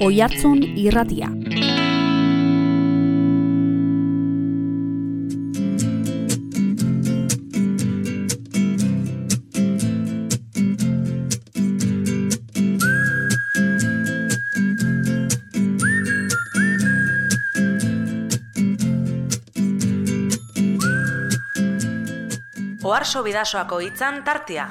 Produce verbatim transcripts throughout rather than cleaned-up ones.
Oihartzun Irratia. Oharso Bidasoako hitzan tartea.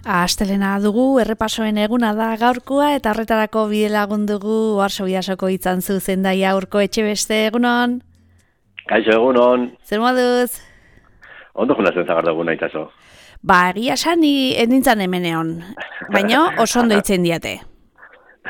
Astelena dugu, errepasoen eguna da gaurkoa eta horretarako bide lagun dugu Oharso Bidasoko hitzan zuzendaia Urko Etxebeste, egunon. Kaixo, egunon. Zer moduz? Ondo junazen zagardo eguna itzazo. Ba, egia sani endintzan hemeneon, baina oso ondo itzen diate.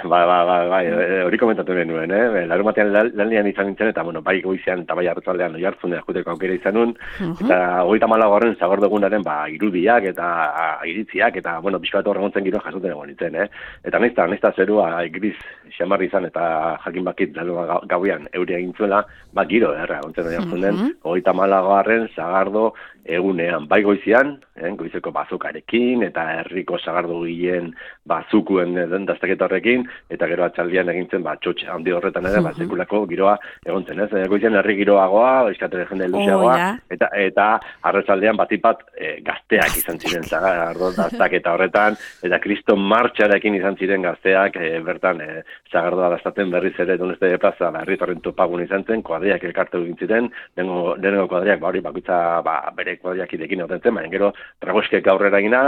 Ba, ba, ba, ba, hori komentatu nuen, eh? Larun batean lanlian izan nintzen, eta, bueno, bai goizean eta bai arratzaldean oihartzun jakuteko aukera izan nun, uh-huh. Eta hogeita hamalau horren zagordegunaren, ba, irudiak eta a, iritziak, eta, bueno, pixka bat horregontzen giro jasoten egon nintzen, eh? Eta naizta, naizta zerua gris xamarri izan, eta jakin bakit larua gauean euria egin zuela, ba, giro, erra, ontzen oihartzunen, uh-huh. hogeita hamalau horren zagardo egunean, bai goizean, eh, goizeko bazukarekin, eta herriko sagardo gileen bazukuen den daztaketa horrekin, eta gero atxaldian egintzen, ba, txotxe handi horretan ere, ba, sekulako giroa egontzen, ez? Goizean herri giroagoa, izkatere jende luzeagoa, oh, eta eta arratzaldean batipat e, gazteak izan ziren sagardo daztaketa horretan, eta kriston martxarekin izan ziren gazteak, e, bertan, e, sagardoa daztaten berriz ere, doneste de plaza, ba, herritarren topagun izan zen, kuadriak elkartu egin ziren, dengo, dengo kuadriak, ba, hori, bakoitza, ba, bere kuadriakidekin horretzen, baina gero, tragoskek aurrera egina,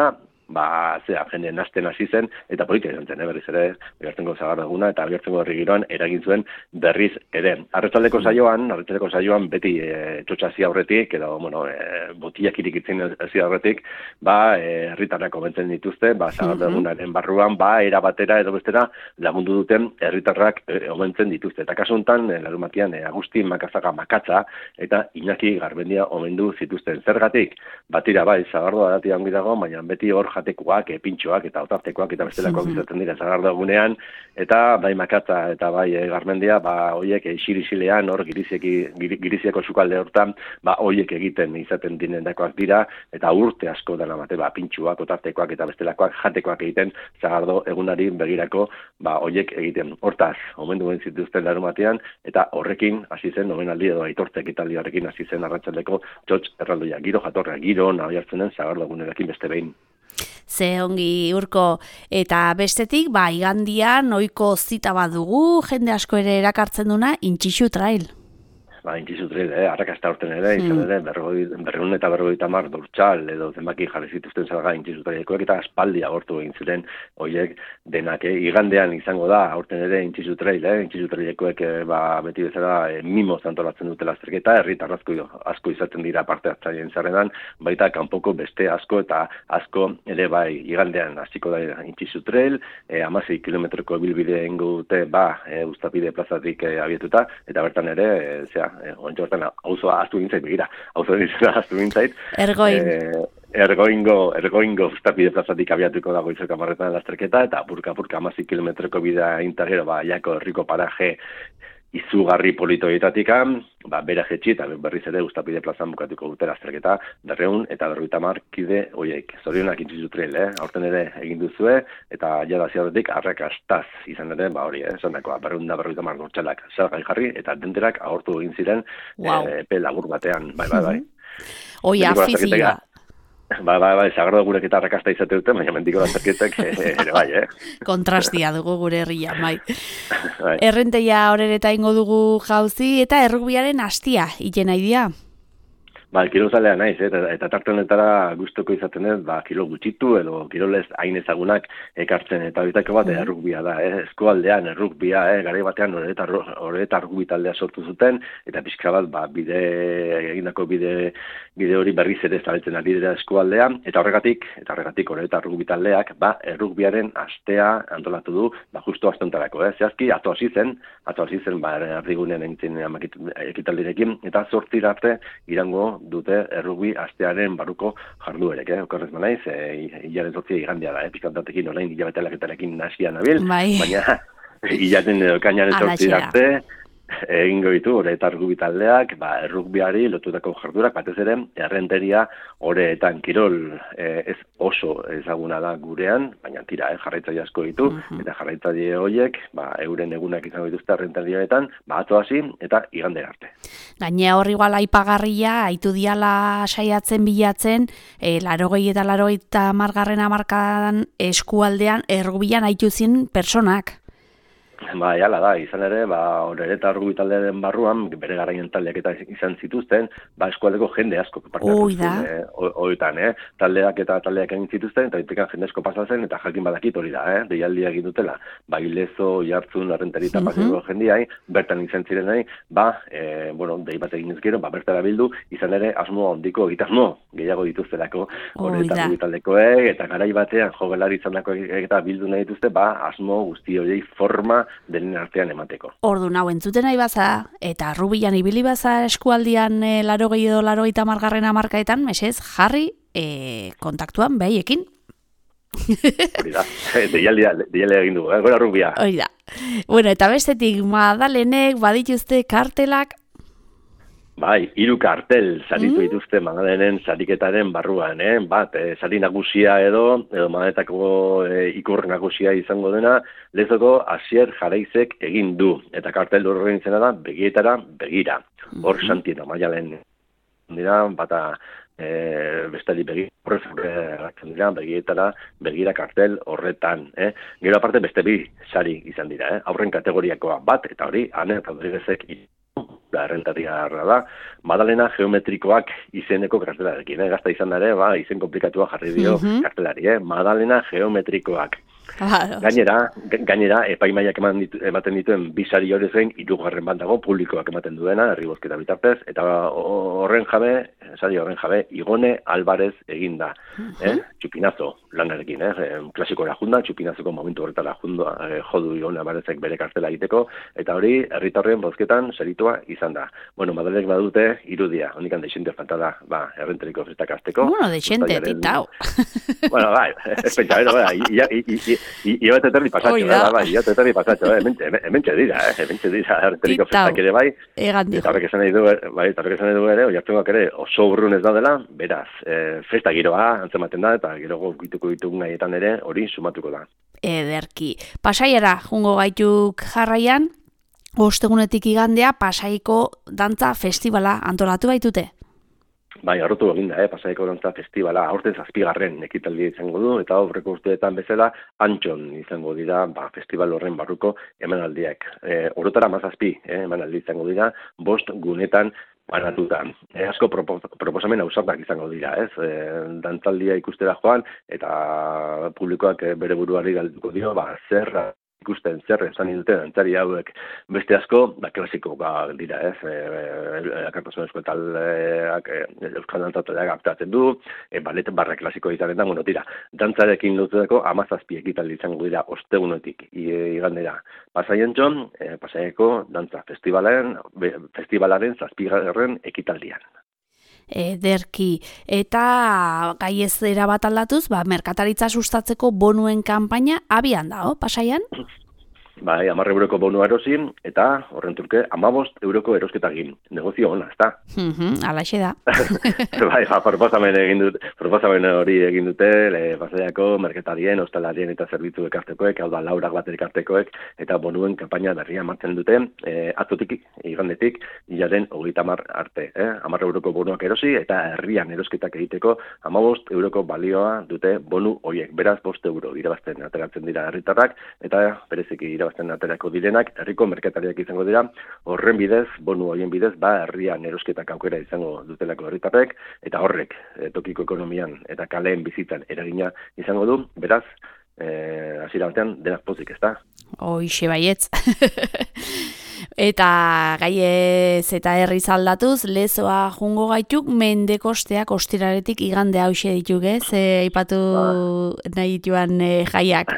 ba, zera, jende nazten hasi zen, eta politia izan zen, eh, berriz ere, bihartengo zagardaguna, eta bihartengo herri giroan eragin zuen berriz ere. Arratsaldeko saioan, arratsaldeko saioan beti e, txotxasi aurretik, edo, bueno, e, botiak irikitzen hasi aurretik, ba, herritarrak e, komentzen dituzte, ba, zagardagunaren barruan, ba, era batera edo bestera lagundu duten herritarrak e, omentzen dituzte. Eta kasu honetan, e, larun batean, e, Agustin Makazaga Makatza, eta Iñaki Garbendia omendu zituzten. Zergatik, batira, bai, zagardoa dati hangi dago, baina beti hor jatekoak, pintxoak eta otartekoak eta bestelakoak izaten dira zagardagunean, eta bai Makatza eta bai e, Garmendia, ba, hoiek isirizilean, hor giriziako sukalde hortan, ba, hoiek egiten izaten dinendakoak dira, eta urte asko dena bate, ba, pintxoak, otartekoak eta bestelakoak jatekoak egiten zagardo egunari begirako, ba, hoiek egiten. Hortaz, omendu egin zituzten larun batean, eta horrekin hasi zen, omenaldi edo aitortze ekitaldi horrekin hasi zen arratsaldeko txotx erraldoia. Giro jatorra, giro nahi hartzenen zagardagunerekin beste behin. Ze ongi Urko, eta bestetik, ba, igandian ohiko zita bat dugu, jende asko ere erakartzen duna, Intxixu Trail. Ba, Intxixu Trail, eh, arrakasta horten ere, mm. izan ere, berreun eta berrogeita hamar dortxal, edo zenbaki jarri zituzten salga Intxixu Trailekoek, eta aspaldi agortu egin ziren horiek denak, eh? Igandean izango da, horten ere Intxixu Trail, eh? Intxixu Trailekoek, eh, ba, beti bezala, eh, mimoz antolatzen dutela azterketa, herritar asko, asko izaten dira parte hartzaileen zerrenan, baita kanpoko beste asko eta asko ere bai igandean hasiko da Intxixu Trail, eh, hamasei kilometroko bilbide egingo dute, ba, eh, Uztapide plazatik eh, abietuta, eta bertan ere, eh, zera, Eh, Ointxo hortan, auzoa aztu gintzait, begira, auzoa aztu gintzait. Ergoin. Eh, ergoingo, ergoingo Uztapide plazatik abiatuko dago izok amarretan lasterketa, eta purka-purka hamasei kilometroko bidea intagero, ba, jako herriko paraje izugarri politoietatik, ba, bera jetxi, eta berriz ere Uztapide plazan bukatuko dute lasterketa, berreun eta berrogeita hamar kide hoiek. Zorionak Intxixu Trail, eh? Aurten ere egin duzue, eta jada ziaretik arrakastaz izan ere, ba hori, eh? Zonakoa, berreun da berrogeita hamar dortxalak salgai jarri, eta denterak agortu egin ziren, wow. e, epe lagur batean, bai, bai, bai. Oi, afizioa. Ba, ba, ba, zagardo gurek eta arrakasta izate dute, baina mendiko lasterketek ere bai, eh? Kontrastia dugu gure herria, bai. bai. Errenteia horreta ingo dugu jauzi, eta errugbiaren hastia, iten nahi dia? Ba, kirolzalea naiz, eh? eta, eta tarte honetara gustuko izaten ez, ba, kirol gutxitu edo kirolez hain ezagunak ekartzen, eta bitako bat mm. errugbia da, eh? Eskualdean errugbia, eh? Garai batean horreta errugbi taldea sortu zuten, eta pixka bat, ba, bide, egindako bide, bide hori berriz ere zabaltzen ari dira eskualdea, eta horregatik, eta horregatik horreta errugbi taldeak, ba, errugbiaren astea antolatu du, ba, justu astontarako, eh? Zehazki, ato hasi zen, ato hasi zen, ba, erdigunean egiten ekitaldirekin, eta zortzira arte irango dute errugbi astearen baruko jarduerek, eh? Okorrez manaiz, e, hilaren zortzia igandea da, eh? Pizkantatekin orain hilabete alaketarekin nasia nabil, bai. Baina hilaten edo kainaren zortzia arte, egingo ditu, ore eta rugbi taldeak, ba, errugbiari lotutako jardurak, batez ere, errenteria oreetan kirol eh, ez oso ezaguna da gurean, baina tira, eh, jarraitzaile asko ditu, uh-huh. eta jarraitzaile horiek, ba, euren egunak izango dituzte errenterietan, ba, atzo hasi eta igande arte. Gainea hor igual aipagarria, aitu diala saiatzen bilatzen, e, larogei eta larogei eta margarren amarkadan eskualdean errugbian aitu zin personak. Ba, jala da, izan ere, ba, horre eta rugbi taldearen barruan, bere garaien taldeak eta izan zituzten, ba, eskualdeko jende asko parteatu zuen, eh, horietan, eh, taldeak eta taldeak egin zituzten, eta itikan jende asko pasatzen, eta jakin badakit hori da, eh, deialdia egin dutela, ba, Ilezo, Jartzun, Arrentari eta paseko jendiai, bertan izan zirenai, ba, e, bueno, dei bat egin ezkero, ba, bertara bildu, izan ere, asmo handiko egitasmo, gehiago dituztelako, horre eta rugbi taldekoek, eta garai batean, jogelari izan dako eta bildu nahi dituzte, ba, asmo guzti horiei forma denen artean emateko. Ordu nau entzuten nahi baza, eta rugbian ibili baza eskualdian e, larogei edo larogeita margarren hamarkaetan, mesez, jarri e, kontaktuan behaiekin. Hori da, deialdia egin dugu, eh? Gora rugbia. Hori da. Bueno, eta bestetik, Madalenek badituzte kartelak. Bai, hiru kartel saritu dituzte mm. Madalenen sariketaren barruan, eh? Bat, eh, sari nagusia edo, edo Madaletako eh, ikur nagusia izango dena, Lezoko Asier Jaraizek egin du. Eta kartel horren izena da, begietara begira. Hor mm-hmm. Santino, Maialen dira, bata e, bestali begi, horrez horretzen dira, begietara begira kartel horretan. Eh? Gero aparte beste bi sari izan dira, eh? Aurren kategoriakoa bat, eta hori, Ane Rodriguezek da errentaria da, Madalena geometrikoak izeneko kartelarekin, eh? Gazta izan ere, ba, izen komplikatua jarri dio mm-hmm. kartelari, eh? Madalena geometrikoak. Claro. Gainera, gainera epaimaiak eman ditu, ematen dituen bisari hori zen, hirugarren bat dago, publikoak ematen duena, herri bozketa bitartez, eta horren jabe, sari horren jabe, Igone Alvarez eginda, uh-huh. eh? Txupinazo lanarekin, eh? Klasikora junda, Txupinazoko momentu horretara junda, eh, jodu Igone Alvarezek bere kartela egiteko, eta hori, herritarren bozketan seritua izan da. Bueno, Madalek badute irudia, honikan deixente falta da, ba, errenteriko festak azteko. Bueno, deixente, titau. Bueno, bai, ez pentsa, bera, bera, Ia bat eterri pasatxo, eh, bai, ia bat eterri pasatxo, eh, hementxe dira, eh, hementxe dira, errenteriko festak ere bai, eta horrek esan nahi du, bai, eta horrek esan nahi du ere, oiartzuak ere, oso urrun ez daudela, beraz, eh, festa giroa antzematen da, eta gero gituko ditugu gaietan ere, hori sumatuko da. Ederki, Pasaiara, jungo gaituk jarraian, ostegunetik igandea, Pasaiko dantza festivala antolatu baitute? Bai, arrotu egin da, eh? Pasaiko dantza festivala, aurten zazpigarren ekitaldia izango du, eta aurreko urteetan bezala Antxon izango dira, ba, festival horren barruko emanaldiak. E, orotara mazazpi, eh, emanaldi izango dira, bost gunetan banatuta. E, asko proposamen ausartak izango dira, ez? E, dantzaldia ikustera joan, eta publikoak bere buruari galduko dio, ba, zer ikusten zer esan dute dantzari hauek beste asko, da klasikoa dira, ez? Akartasunezko taldeak, euskal dantzataleak aktatzen du, e, balet barra klasiko izaren da, bueno, tira, dantzarekin lotutako hamazazpi ekitaldi izango dira ostegunetik igandera. Pasaientxon, e, Pasaiako dantza festivalaren, festivalaren zazpigarren ekitaldian. Ederki, eta gai ez era bat aldatuz, ba, merkataritza sustatzeko bonuen kanpaina abian da, Pasaian? Bai, hamar euroko bonua erosin, eta horren turke, hamabost euroko erosketagin. Negozio hona, ez da? Mm-hmm, alaxe da. Bai, ja, proposamen egin dute, proposamen hori egin dute, le, Pasaiako merketarien, hostalarien eta zerbitzu ekartekoek, hau da, laurak bat ekartekoek, eta bonuen kanpaina berria martzen dute, e, atzotik, igandetik, hilaren hogeita hamar arte. Eh? hamar euroko bonuak erosi, eta herrian erosketak egiteko, hamabost euroko balioa dute bonu horiek. Beraz, bost euro irabazten ateratzen dira herritarrak, eta bereziki irabazten aterako direnak, herriko merkatariak izango dira, horren bidez, bonu horien bidez, ba, herrian erosketak aukera izango dutelako herritarrek, eta horrek, e, tokiko ekonomian eta kaleen bizitzan eragina izango du, beraz, e, hasiera batean, denak pozik, ez da? Hoixe baietz. Eta gaiez eta herri aldatuz, Lezoa jungo gaituk, mendekosteak ostiraretik igande hause dituk, ez? E, ipatu ba. nahi dituan e, jaiak.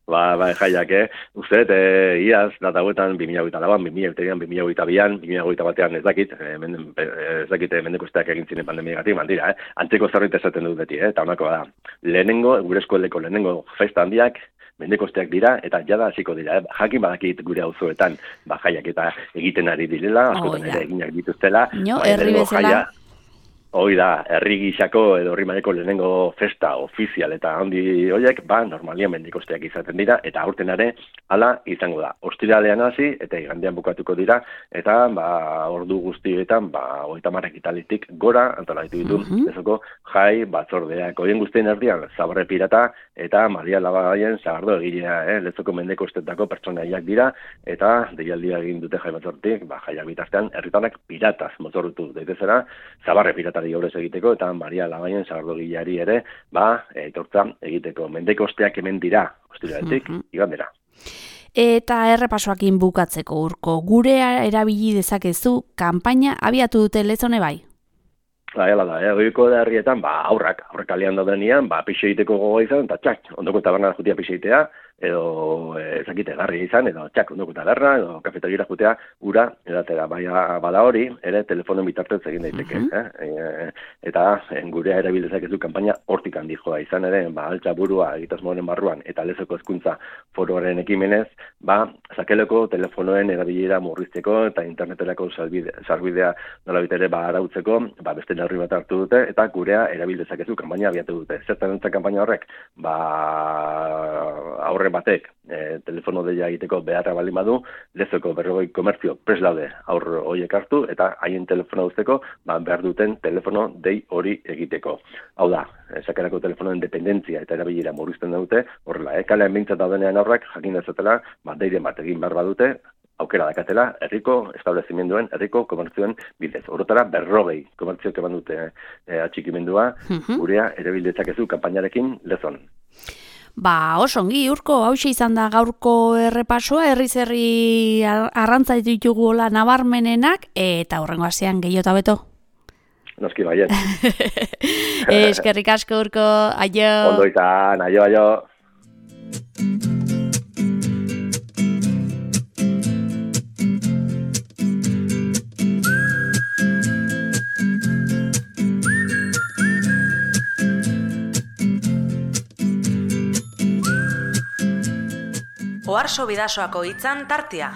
Ba, ba, jaiak, eh? Uste, e, iaz, data huetan, bi mila hogeita lauan, bi mila hogeita bian, bi mila hogeita batean ez dakit, e, menden, ez dakit e, mendekosteak egin ziren pandemiagatik, mandira, eh? Antzeko zerbait esaten dut beti, eh? Eta honakoa da. Lehenengo, gure eskualdeko lehenengo festa handiak, mendekosteak dira, eta jada hasiko dira, eh? Jakin badakit gure auzoetan, ba, jaiak eta egiten ari direla, askotan ere eginak dituztela. No, herri bezala. Hoi da, herri gisako edo herri maileko lehenengo festa ofizial eta handi horiek, ba, normalian mendikosteak izaten dira, eta aurten ere, hala izango da. Ostiralean hasi, eta igandean bukatuko dira, eta, ba, ordu guztietan, ba, hogeita hamar ekitalitik gora, antolatu ditu, mm -hmm. ezoko, jai, batzordeak. Horien guztien erdian, Zabarre Pirata, eta Maria Labaien zagardo egilea, eh? Lezoko mendekostetako pertsonaiak dira, eta deialdia egin dute jai batzortik, ba, jaiak bitartean, herritanak pirataz motorrutu daitezera, Zabarre Pirata gaurez egiteko, eta Maria Labaien zagardogileari ere, ba, etortza egiteko. Mendekosteak hemen dira, ostiraletik, mm -hmm. igandera. Eta errepasoakin bukatzeko Urko, gure erabili dezakezu, kanpaina abiatu dute Lezone bai? Ba, hala da, eh? Oiko da herrietan, ba, aurrak, aurrak kalean daudenean, ba, pixe egiteko gogoa izan, eta txak, ondoko taberna jutia pixe egitea, edo ezakite garria izan, edo txak, ondoko taberna, edo kafetegira jutea, ura, edatera, baina bada hori, ere telefonen bitartez egin daiteke. Uh -huh. eh? E, eta en, gurea erabilezak ez du kanpaina hortik handi joa izan ere, ba, altza burua egitasmoaren barruan, eta Lezoko hezkuntza foroaren ekimenez, ba, sakeleko telefonoen erabilera murrizteko, eta interneterako sarbidea nola bitere, ba, arautzeko, ba, beste neurri bat hartu dute, eta gurea erabil dezakezu kanpaina abiatu dute. Zertan entzak kanpaina horrek, ba, aurre batek e, telefono deia egiteko beharra baldin badu, Lezoko berrogei komertzio prest daude aurre horiek hartu, eta haien telefono uzteko, ba, behar duten telefono dei hori egiteko. Hau da, sakerako telefonoen dependentzia eta erabilera murrizten dute, horrela, eh, kalean bintzat daudenean aurrak, jakin dezatela, ba, deiren bat egin behar badute, aukera dakatela, herriko establezimenduen, herriko komertzioen bidez. Horotara berrogei komertzioak eman dute e, atxikimendua, uh-huh. gurea erabildezakezu kanpainarekin Lezon. Ba, oso ongi, Urko, hauxe izan da gaurko errepasoa, herri-zerri arrantza ditugu hola nabarmenenak, eta hurrengo astean gehiago eta beto. Noski baiet. Eskerrik asko, Urko, aio. Ondo izan, aio, aio. Oharso Bidasoako hitzan tartea.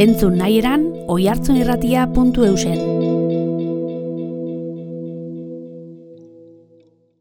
Entzun nahi eran, oihartzunirratia puntu eusen.